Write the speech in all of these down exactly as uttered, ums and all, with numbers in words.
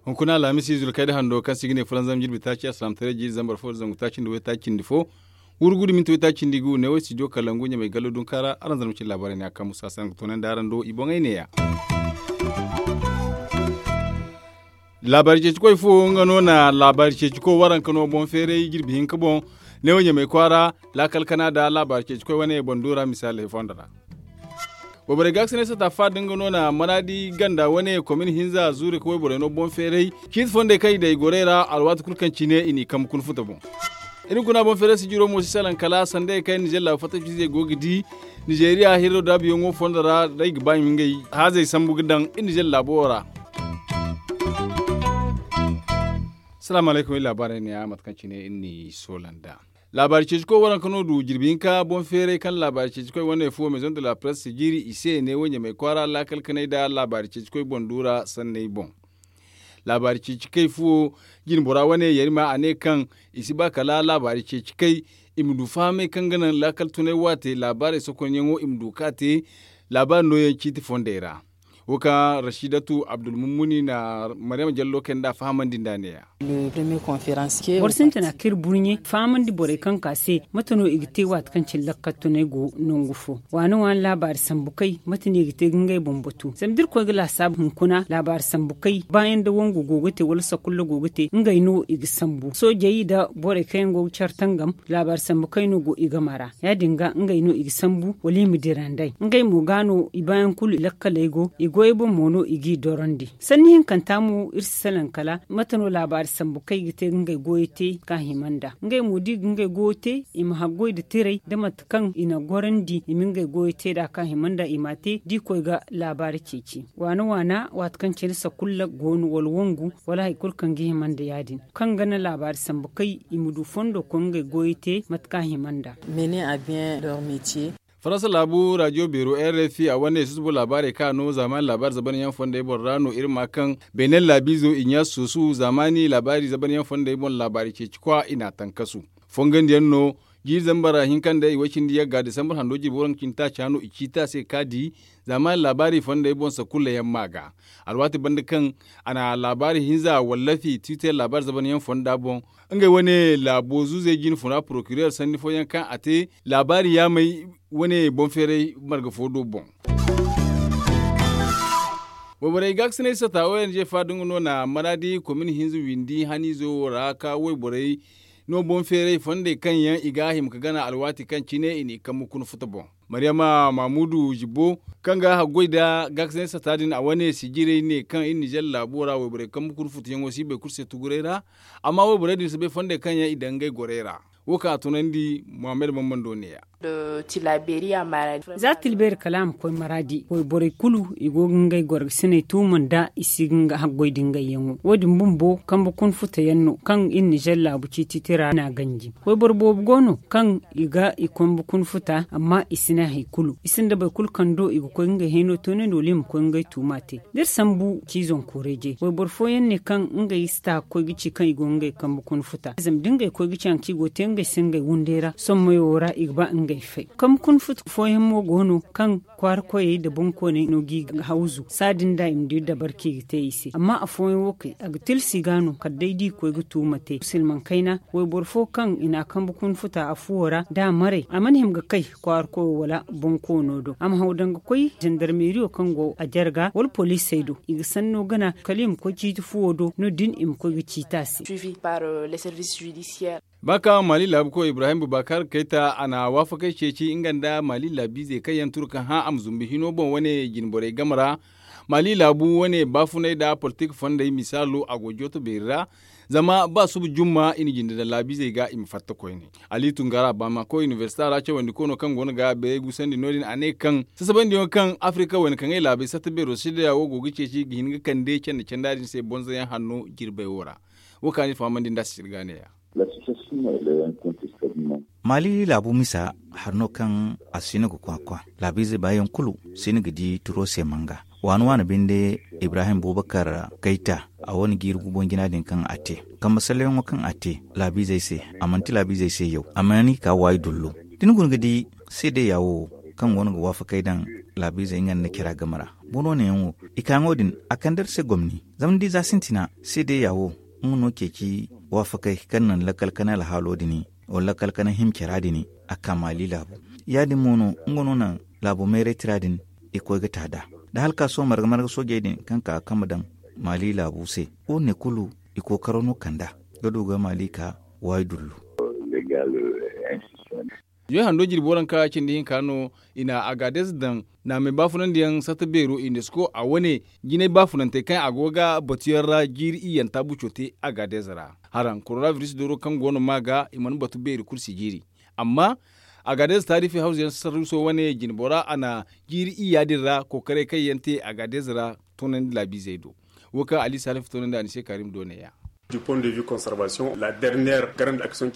Hunkuna alhamisi zulkayda hando kaŋ se i ga ne fulanzam jirbi taaci alsilaamataray jiiri zambar fo da zangu taaci nda waytaaci cindi fo, wurgu da minti waytaaci cindi gu ne wo studio kalangu ɲamay gallo dunka ra. Araŋ zarma cine laabaarey ne a kaŋ musa se araŋ ga toonandi araŋ do i boŋey neeya. Laabaari ceeci koy fo nga no na laabaari ceeci koy waranka no boŋ feeray jirbi hinka boŋ. Ne wo ɲamay kwaara laakal kana nda laabaari ceeci koy wane boŋ duura misaaley fondo ra. Wayborey ga ga si ne sata fa da nga no na maraadi ganda wane komin hinza zuuri ka wayborey no boŋ feeray ciiti fondey kaŋ i daŋ i gorey ra alwaati kulu kaŋ cine i n'i kambe kuna futa boŋ. Iri guna boŋ feeray sijiro mo si salaŋ kala sanday kaŋ nizeer laabu fatta fiizey go ga di. Nizeeriya hirro daabuyaŋo fondo ra da i ga ba i ma ngey haazey sambu ga daŋ iri nizeer laabo wo ra. Salaamu alaykum iri laabaarey neeya mate kaŋ cine iri n'i soola nd'a. Laabaari ceeci koy waranka no du jirbi hinka boŋ feeray kaŋ laabaari ceeci koy wane fo maison de la presse jiiri i se ne wo ɲamay kwaara laakal kanay nda laabaari ceeci koy boŋ duura sanney boŋ. Laabaari ceeci kay fuwo jinbora wane yarima a ne kaŋ i si ba kala laabaari ceeci kay i ma du fahamay kaŋ ga naŋ laakal tunay waate laabaarey sokonyaŋo i ma du ka te laabaari nooyaŋ ciiti fondey ra. Wo kaŋ rasiidatu abdulmummuni na maryama jallo kay nd'a fahamandi nd'a neeya. Boro sintina kaŋ iri burɲe fahamandi borey kaŋ ka se mate no i ga te waati kaŋ cine lakkal tunay go nangu fo. Waani waani laabaari sambu kay mate no i ga te ga ngey boŋ batu zama da iri koy ga laasaabu hunkuna laabaari sambu kay baayaŋ da wangu go ga te wala sakulla go ga te ngey no i ga sambu soojey nda borey kaŋ yaŋ go ga care tangam. Laabaari sambu kay no go i game ra ya- din ga ngey no i ga sambu wala i ma dira nd'ey ngey mo ga no i baayaŋ kulu lakkaley go i goyey boŋ mo no i g'i dorandi. Sanni hinkanta mo iri si salaŋ kala mate no laabaari sambu kaŋ i ga te ga ngey goyey te ka hima nd'a ngey mo da i ga ngey goyo te i ma haggoy nda tirey nda mate kaŋ i na gorandi i ma ngey goyo te nd'a ka hima nd'a i m'a te da i koy ga laabaari ceeci waana waana waati kaŋ cine sakulla go no wala wangu wala hari kulu kaŋ ga hima nda ya- din kaŋ ga naŋ laabaari sambu kay i ma du fondo koy ngey goyey te mate kaŋ a hima nd'a. Faransa laabu raadiyo beero r f i a wane susubo laabaarey kaŋ a no zaamaani laabaari zabanyaŋ fondey boŋ ra no iri ma kaŋ beenel laabiizo i ɲa suusu zaamaani laabaari zabanyaŋ fondey boŋ laabaari ceeci kwa i n'a tankasu fongandiyaŋ no jiiri zambar hinka nda i way cindi yagga disambar hando jirbi waranka cindi taaca no i ciiti a se ka di zaamaani laabaari fondey boŋ sakulla yaŋ ma ga alwaati banda kaŋ a na laabaari hinza wallafi tiwiter laabaari zabanyaŋ fonda boŋ ngey wane laabo zuuzey jine funa porokireer sanni fooyaŋ kaŋ a te laabaari yaamey wane boŋ feeray marga fo do boŋ. Wayborey gaakasinay sata o n g fa da nga no na maraadi komin hinza windi haniizo wo ra ka wayborey no boŋ feeray fondey kaŋ yaŋ i ga a hima ka gana alwaati kaŋ cine i n'i kambe kuna futa boŋ. Maryama mamudu jibbo kaŋ ga haggoy nda gaakasinay sata din a wane sijirey ne kaŋ iri nizer laabo ra wayborey kambe kuna futa yaŋo si bay kulu se tuguray ra. Amma wayborey din si bay fondey kaŋ yaŋ i daŋ ngey gorey ra. Wo kaŋ a tunandi muhammad bambando neeya. Za tilbeeri kala a ma koy maraadi wayborey kulu i go ga ngey gorgasiney tuuma nda i si ga nga haggoy da ngey yaŋo wo- din bumbo kambe kuna futa yaŋ no kaŋ iri nizer laabu ciiti tira na ganji. Wayboro boobo go no kaŋ i ga i kambe kuna futa amma i si ne hari kulu i sinda boro kulu kaŋ do i ga koy ga ngey hayno toonandi wala i ma koy ga ngey tuuma te. Da iri sambu ci zanko reeje wayboro fooyaŋ ne kaŋ ngey si ta ga koy ga ci kaŋ i go ga ngey kambe kuna futa zama da ngey koy ga ci hari kaŋ i go ga te ngey se ngey wunday ra sommayo ra i ga ba ngey fay. Kambe kuna futa fooyaŋ mo go no kaŋ kwaara koyey nda boŋkooney no g'i hawzu saadin da i ma di dabar kaŋ i ga te i se amma afooyaŋ wo kay a ga tilas i ga no kala day da i koy ga tuuma te silmaŋ kayna wayboro fo kaŋ i n'a kambe kuna futa afuwo ra da a maray a mana hima ga kay kwaara koyo wala boŋkoono do a ma haw daŋ ga koy zandarmeeriyo kaŋ go a jarga wala poliisey do i ga sanno gana kala i ma koy ciiti fuwo do no- din i ma koy ga ciiti a se. Ba kaŋ mali laabu koy ibrahim bubakar kayta a na waafakey ceeci nga nda mali laabiizey kaŋ yaŋ turu ka hã a ma zumbu hino boŋ wane jinborey game ra. Mali laabu wane baafunay nda politik fondey misaalo a go jooto beeri ra. Zama ba suba jumma i na jinde daŋ laabiizey ga i ma fatta koyne. Ali tungara bamako inibersita ra cawandikoono kaŋ go no ga beeray gusandi no- din a ne kaŋ sasabandiyaŋo kaŋ afirika wayna kaŋ ay laabey satta beero sidaya wo go ga ceeci ga hin ga kande canda canda din se bonzoyaŋ hanno jirbey wo ra. Wo kaŋ a na iri fahamandi nd'a sisiri ga neeya. Mali laabu misa hari no kaŋ a si no ga kwakwa laabiize baayaŋ kulu si no ga di turo se manga. Waani waani binde ibrahim bubakar kayta A wane jiiri guboŋ jina din kaŋ a te, kambe salleyaŋo kaŋ a te laabiizey se, a manti laabiizey se yaw, a mana i ka waayi dullo. Da ni guna ga di seedeya wo kaŋ go no ga waafakey daŋ laabiizey nga nda care game ra, boro neeyaŋo, i kaayaŋo din, a kande iri se gomni. Zama ni di za sintina seedeya wo, nga no ceeci waafakey kaŋ naŋ lakkal kanay alhaalo din, wala lakkal kanay hima cara din, a ka maali laabu. Ya- din mo no nga no naŋ laabo meeray tira din, i koy ga ta nd'a. Da hala ka sohõ marga marga soojey din kaŋ ka ga kambe daŋ maali laabu se, wo- ne kulu, i kookaro no kand'a ga du ga maali ka waayi dullu. Zuway hando jirbi waranka cindi hinka no, i na agaadez daŋ naamey baafunandiyaŋ satta beero, unesco a wane jinay baafunantey kaŋ a go ga batuyaŋ ra jiiri iyyanta buco te agaadez ra. Haraŋ korona biris dooro kaŋ go no ma ga i mana batu beeri kulu si jiiri. Amma agaadez taarifi hawza yaŋ sarruuso wane jinbora a na jiiri iyya din ra kookaray kaŋ yaŋ te agaadez ra toonandi laabiizey do. Wo kaŋ ali salifu toonandi a ni se kaarim do neeya.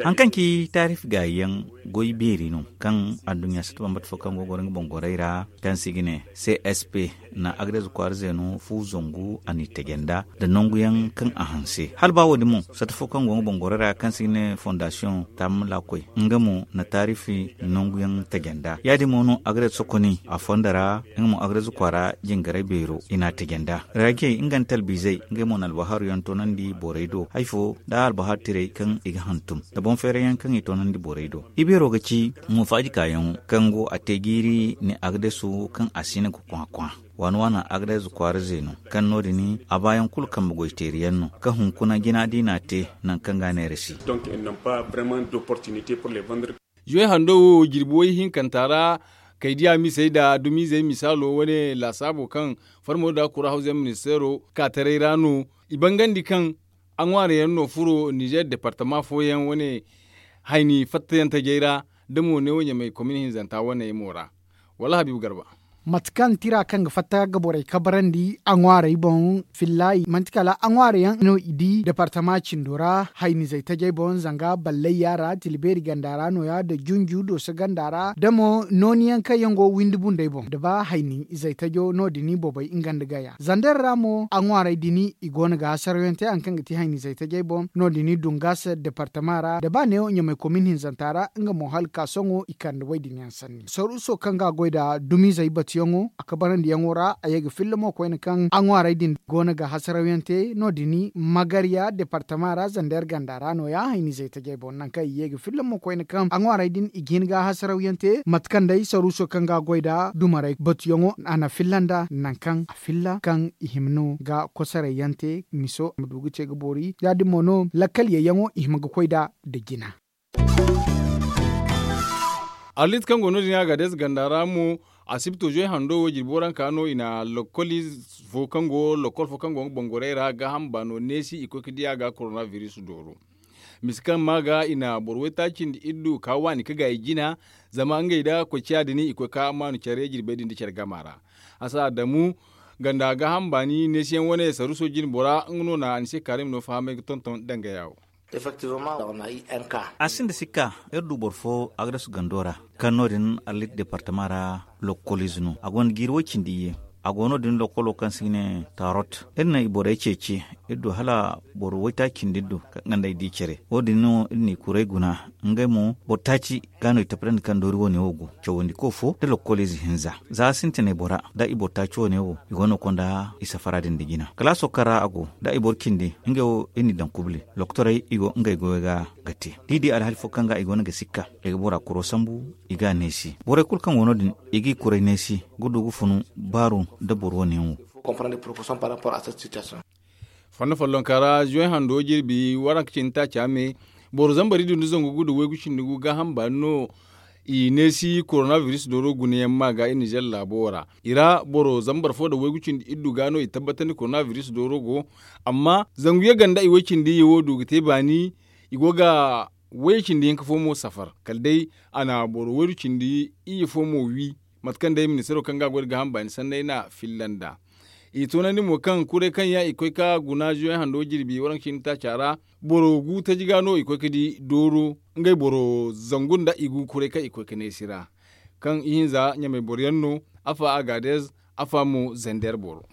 Haŋ kaŋ ci taarif gaayi yaŋ goy beeri no kaŋ adduɲɲa satta bambata fo kaŋ go ga goro nga boŋ gorey ra, kaŋ se i ga ne c s p, na agades kwaara zeeno fu zangu a n'i taje nd'a nda nangu yaŋ kaŋ a hanse hala ba wo- din mo satta fo kaŋ go nga boŋ gorey ra kaŋ se i ga ne fondasiyoŋ taamala koy, nga mo na taarifi nangu yaŋ taje nd'a ya- din mo no agades sokoni a fondo ra. Nga mo agades kwaara jingaray beero i n'a taje nd'a. Raajey nga nda talbiizey ngey mo na albahaaru yaŋ toonandi borey do hari fo nda albahaaru tirey kaŋ i ga hantum nda boŋ feeray yaŋ kaŋ i toonandi borey do. Ibeero ga ci mo faaji kaayaŋo kaŋ go a te jiiri ni agdesu kaŋ a si hin ga kwakwa waani waani agdesu kwaara zeeno kaŋ no- din a baayaŋ kulu kambe goy teeri yaŋ no kaŋ hunkuna jina da i n'a te nangu kaŋ ga a neera si. Zuway hando wo jirbi way hinkanta ra kay diya misey nda dumiizey misaalo wane laasaabo kaŋ farmo nda kura hawza yaŋ ministeero ka taray ra no. I bangandi kaŋ a ŋwaari yaŋ no furo nizer departama fooyaŋ wane hayni fattayaŋ tajey ra da mo neewo ɲamay komin hinzanta wane mo ra. Wala habiibu garba. Mate kaŋ tira kaŋ ga fatta ga borey kabarandi a ŋwaarey boŋ, fillahi manti kala a ŋwaarey yaŋ no i di departama cindo ra haynizey tajey boŋ zanga ballayya ra tilibeeri ganda ra no- ya nda junju dooso ganda ra da mo nooni yaŋ kaŋ yaŋ go windi bundey boŋ da ba hayni izey tajo no- din bobey nga nda gaya zander ra mo a ŋwaarey din i go no ga hasaraw yaŋ te hari kaŋ ga ti haynizey tajey boŋ no- din dungas departama ra da ba neewo ɲamay komin hinzanta ra nga mo hala ka sohõ i kande wo- din yaŋ sanni saruuso kaŋ ga a goy nda dumiizey batuyaŋo a kabarandiyaŋo ra a ye ga filla mo koyne kaŋ a ŋwaarey din go no ga hasaraw yaŋ te no- din magarya departama ra zander ganda ra no- ya haynizey tajey boŋ nangu kaŋ i ye ga filla mo koyne kaŋ a ŋwaarey din i ga hin ga hasaraw yaŋ te mate kaŋ day saruuso kaŋ ga a goy nda dumarey batuyaŋo a na filla nda nangu kaŋ a filla kaŋ i hima no ga kosoray yaŋ te miso a ma du ga te ga boori ya- din mo no lakkal yayyaŋo i hima ga koy nda nda jina. Arlit kaŋ go no- din a ga deesa ganda ra mo asibto zoy hando wo jirbi waranka no i na lokol ize fo kaŋ go lokol fo kaŋ go nga boŋ gorey ra gaaham baano neesi i koy ga di a ga korona biris dooro. Mise kaŋ ma ga i na boro waytaaci nda iddu ka waani ga gaayi jina zama ngey nda koy ciya din i koy ga maanu care jirbey din nda care gama ra. Hasa adamu ganda gaaham baani neesiyaŋ wane saruuso jine bora nga no na anise kaarim no fahamay ga tonton dangaya wo. A sinda sikka iri du boro fo agresu gando ra kaŋ no- din arlit departama ra lokol ize no a gonda jiiri way- cindi iyye. A go no- din lokolo kaŋ se i ga ne tarot iri na i borey ceeci. Iri du hala boro waytaaci cindi iri du kaŋ ga nd'ey di care wo- din no iri n'i kuray guna ngey mo boro taaci ga no i tapadandi kaŋ doori wane wo go cawandi ko fo nda lokol ize hinza za sintinay bora nda i boro taaci wane wo i go no ga konda i safara din nda jina kala a sohõ kaŋ ra a go nda i boro cindi ngey wo iri n'i daŋ kubli lokotorey i go ngey goyo ga ga te da i di alhali fo kaŋ ga i go no ga sikka i ga bora kuro sambu i ga a neesi borey kulu kaŋ go no- din i g'i kuray neesi ga du ga funu baaru nda boro wane yaŋ wo. Fondo follonka ra zuway hando jirbi waranka cindi taaca me boro zambar iddu nda zangu gu nda waygu cindi gu gaaham baani no. I neesi korona biris dooro gunayaŋ ma ga i nizer laabo ra i ra boro zambar fo nda waygu cindi iddu ga no i tabbatandi korona biris dooro go. Amma zangu yaŋ ganda i way- cindi iyye wo du ga te baani i go ga way- cindi hinka fo mo safar kala day a na boro waydu cindi iyye fo mo wi. Mate kaŋ day ministaro kaŋ ga a goy nda gaaham baani sanney na filla nd'a. I toonandi mo kaŋ kuray kaŋ yaŋ i koy ga guna zuway hando jirbi waranka cindi taaca ra boro gu taji ga no i koy ga di dooro ngey boro zangu nda i gu kuray kaŋ i koy ga neesi ra. Kaŋ ihinza ɲamay boro yaŋ no, afa agaadez, afa mo zander boro.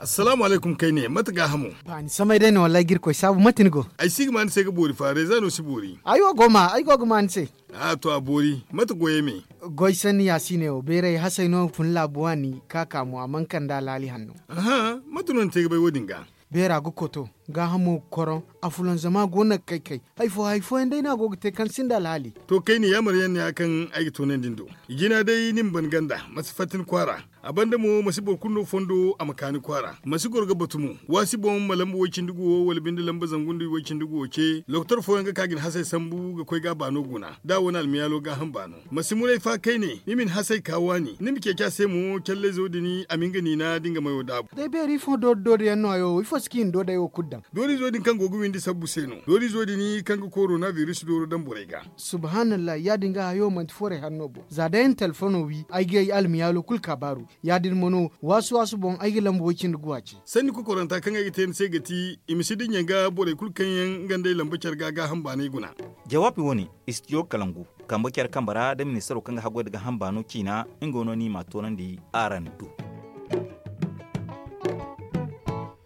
Assalaamu alaykum kayne, mate gaahamo? Ba ni samay day no wallaahi ga irkoy saabu, mate ni go? Ay si ga ma ni se ga boori fa reeza no si boori. Ay wo go ma ay go ga ma ni se. A to a boori, mate goyey me? Goy sanni ya si ne wo beeray hasay no fun laabu waani ka ka mo a mana kande alhaali hanno. Aha, mate no ni te ga bay wo- din ga? Beera ga koto, gaahamo ga koroŋ, afulanzama go no ga kay kay. Hari fo hari fooyaŋ day no a go ga te kaŋ sinda alhaali. To kayne yaamar yaŋ ne ya kaŋ ay ga toonandi ni do. Jina day ni ma ban ganda, ma si fatta ni kwaara. A banda mo ma si boro kulu no fondo a ma ka ni kwaara, ma si goro ga batu mo. Waasi boŋ ma lamba woy-cindi-gu wo wala binde lamba zangu nda woy-cindi-gu wo ce lokotor fooyaŋ ga ka ga ni hasey sambu ga koy ga a baano guna da a wane almiyaalo gaaham baano. Ma si munay fa kayne, ni ma ni hasey ka waani ni ma ceeci a se mo callayzo din a ma nga niina da nga mayo daabu. Day beeri ifo doori doori yaŋ no hayo wo ifo si kaŋ i na doodey wo kulu daŋ? Doorizo din kaŋ go ga windi sabbu se no. Doorizo din kaŋ ga korona biris dooro daŋ borey ga. Subhaanallahi ya- din ga hayo manti forey hanno boŋ za day ay na telefono wi ay ga ay almiyaalo kulu kaabaaru. Ya- din mo no waasu waasu boŋ ay ga lamba woy cindi guwa ce. Sanni kokoranta kaŋ ay ga te ni se ga ti, i ma si dinya ga borey kulu kaŋ yaŋ nga nd'ey lamba care ga gaaham baanay guna. Jawaabi wo- ne, istidiyo kalangu kambe care kambe ra da ministaro kaŋ ga haggoy nda gaaham baano ciina, nga no no ni m'a toonandi araŋ do.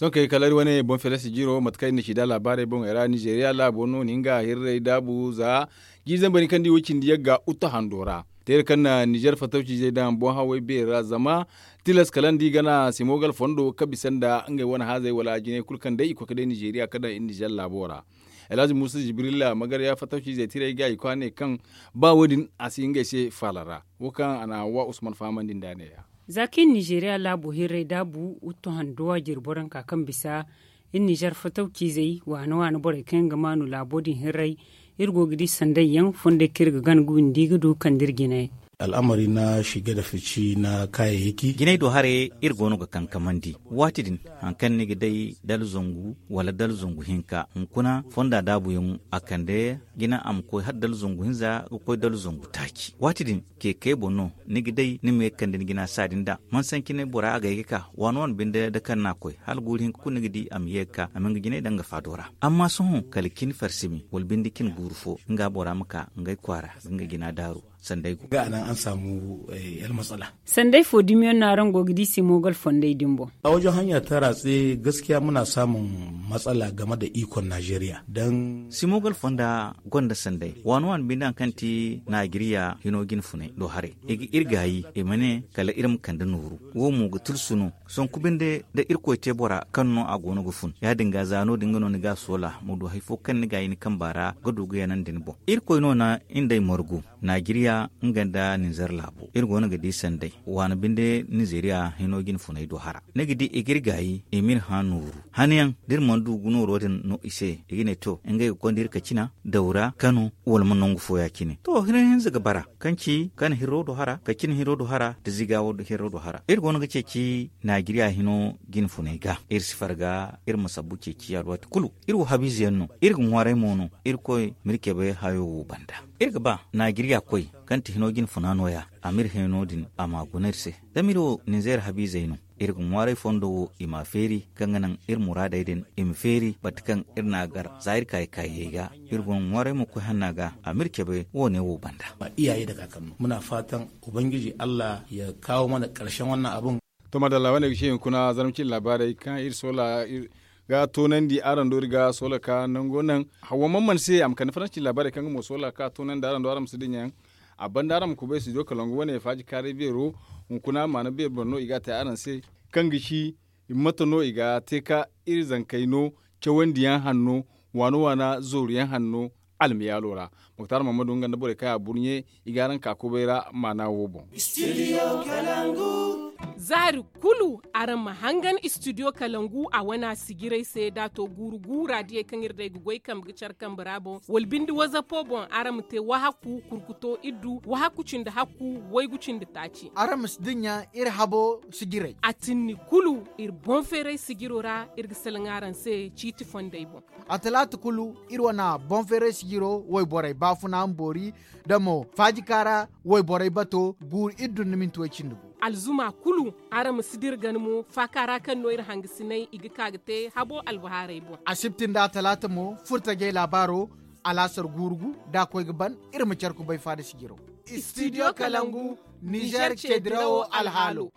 Sohõ kay kala iri wane boŋ feere sijiro mate kaŋ iri na ci nd'a laabaarey boŋey ra nizeeriya laabo no na nga hirrey daabu za jiiri zambarey kaŋ nda i wo cindi yagga uta hando ra. Teera kaŋ na nizeer fatawciizey daŋ boŋ hawey beeri ra zama tilas kala nda i gana simogal fondo ka bisa nda ngey wane haazey wala jinay kulu kaŋ day i koy ka day nizeeriya ka daŋ iri nizeer laabo ra. Alhazi muusa jibrilla magarya fatawciizey tirey ga i koy a ne kaŋ ba wo- din a si ngey se faala ra. Wo kaŋ a na wa usman fahamandi nd'a ne- ya. Za kaŋ iri nizeeriya laabo hirrey daabu wuttu handuwa jiri boro hinka kaŋ bisa iri nizeer fatawciizey waana waana borey kaŋ yaŋ ga maanu laabo din hirrey. Iri go ga di sanday yaŋ fondey kaŋ iri ga gana ga windi ga du kande iri jinay. Al'amari na shige da fici na kayayyaki. Jinay do haray iri go no ga kankamandi. Waati din hari kaŋ ni ga day dala zangu wala dala zangu hinka hunkuna fonda daabuyaŋo a kande jina a ma koy hala dala zangu hinza ga koy dala zangu taaci waati din. Keke boŋ no ni ga day ni ma ye ga kande ni jina saadi nda mansancinay bora a gay ga ka waani waani binde da kaŋ no a koy hala guuru hinka kulu ni ga di a ma ye ga ka a ma nga jinay daŋ ga faado ra. Amma sohõ kala cin farsimi wala binde cin guuru fo nga bora ma ka ngey kwaara ga nga jina daaru. Sanday go ga a naŋ araŋ saamu almasala. Sanday fo dumiyaŋ no araŋ go ga di simogal fondey din boŋ? A wajen hanya ta ratse gaskiya muna samun matsala game da ikon najeriya dan simogal fonda gonda sanday waani waani binde hari kaŋ ti najeriya hino jine funay do haray i ga iri gaayi i ma ne kala iri ma kande nooru. Wo mo ga tulsu no sanku binde da irkoy te bora kaŋ no a go no ga fun ya- din ga za no- din ga no ni ga a soola ma du hari fo kaŋ ni gaayi ni kamba ra ga du ga yanandi ni boŋ. Irkoy no na iri nd'ey margu najeriya nga nda ninzeer laabo iri go no ga di sanday waani binde ninzeeriya hino jine funay do hara. Ni ga di i ga iri gaayi i ma iri hã nooru hanayaŋ da iri mana du ga nooro din no i se i ga ne to ngey ga konda iri kacina dawra kano wala ma nangu fo ya- cine to hino hinza ga bara kaŋ ci kano hirro do hara kacina hirro do hara da ziga wo do hirro do hara iri go no ga ceeci najeriya hino jine funay ga iri si farga iri ma sabbu ceeci alwaati kulu. Iri wo habiize yaŋ no iri ga ŋwaaray mo no irkoy ma iri cabe hayo wo banda. Iri ga ba najeriya koy kaŋ ti hino jine funa no- ya a ma iri hino din a ma guna iri se. Zama iri wo ninzeer habiizey no iri ga ŋwaaray fondo wo i m'a feeri kaŋ ga naŋ iri muraadey din i ma feeri bate kaŋ iri n'a gar za iri kaayi kaayey ga. Iri go no ŋwaaray mo koy hanna ga a ma iri cabe wo- ne wo banda. Muna faatan ubangiji allah ya kawo mana karshen wannan abun. To madalla wane ga ce hunkuna zarma cine laabaarey kaŋ iri soola ga toonandi araŋ do iri ga soola ka nango naŋ. Hawwa man man se a ma kande faransi cine laabaarey kaŋ ga mo soola ka toonandi araŋ do araŋ ma si dinya yaŋ. A banda araŋ ma kubay studio kalangu wane faaji kaaray beero hunkuna maana beeri boro no i ga a te araŋ se kaŋ ga ci mate no i ga te ka iri zankey no cawandiyaŋ hanno waana waana zooruyaŋ hanno almiyaalo ra. Muktar mahamadu nga nda borey kaŋ a burɲe i ga araŋ ka kubay ra maana wo boŋ. Zaari kulu araŋ ma hangan istidiyo kalangu a wana sijiray se da a to guuru guura diyey kaŋ iri day ga goy kambe ga care kambe ra boŋ wala binde wazapo boŋ araŋ ma te wahaku kurkuto iddu wahaku cindi hakku waygu cindi taaci. Araŋ ma si dinya iri habo sijiray a tinni kulu iri boŋ feeray sijiro ra iri ga salaŋ araŋ se ciiti fondey boŋ. A talaata kulu iri wane boŋ feeray sijiro wayborey baafuna ma boori da mo faajika ra wayborey bato guuru iri dunna minti way cindi gu. Alzuma kulu araŋ ma si dira gana mo faaka ra kaŋ no iri hangasinay i ga ka ga te habo albahaarey boŋ. Asibti nda a talaata mo furtajey laabaaro alaasar guuru gu da a koy ga ban iri ma care kubay faada sijiro. Istidiyo kalangu nizer ceedirawo alhaalo.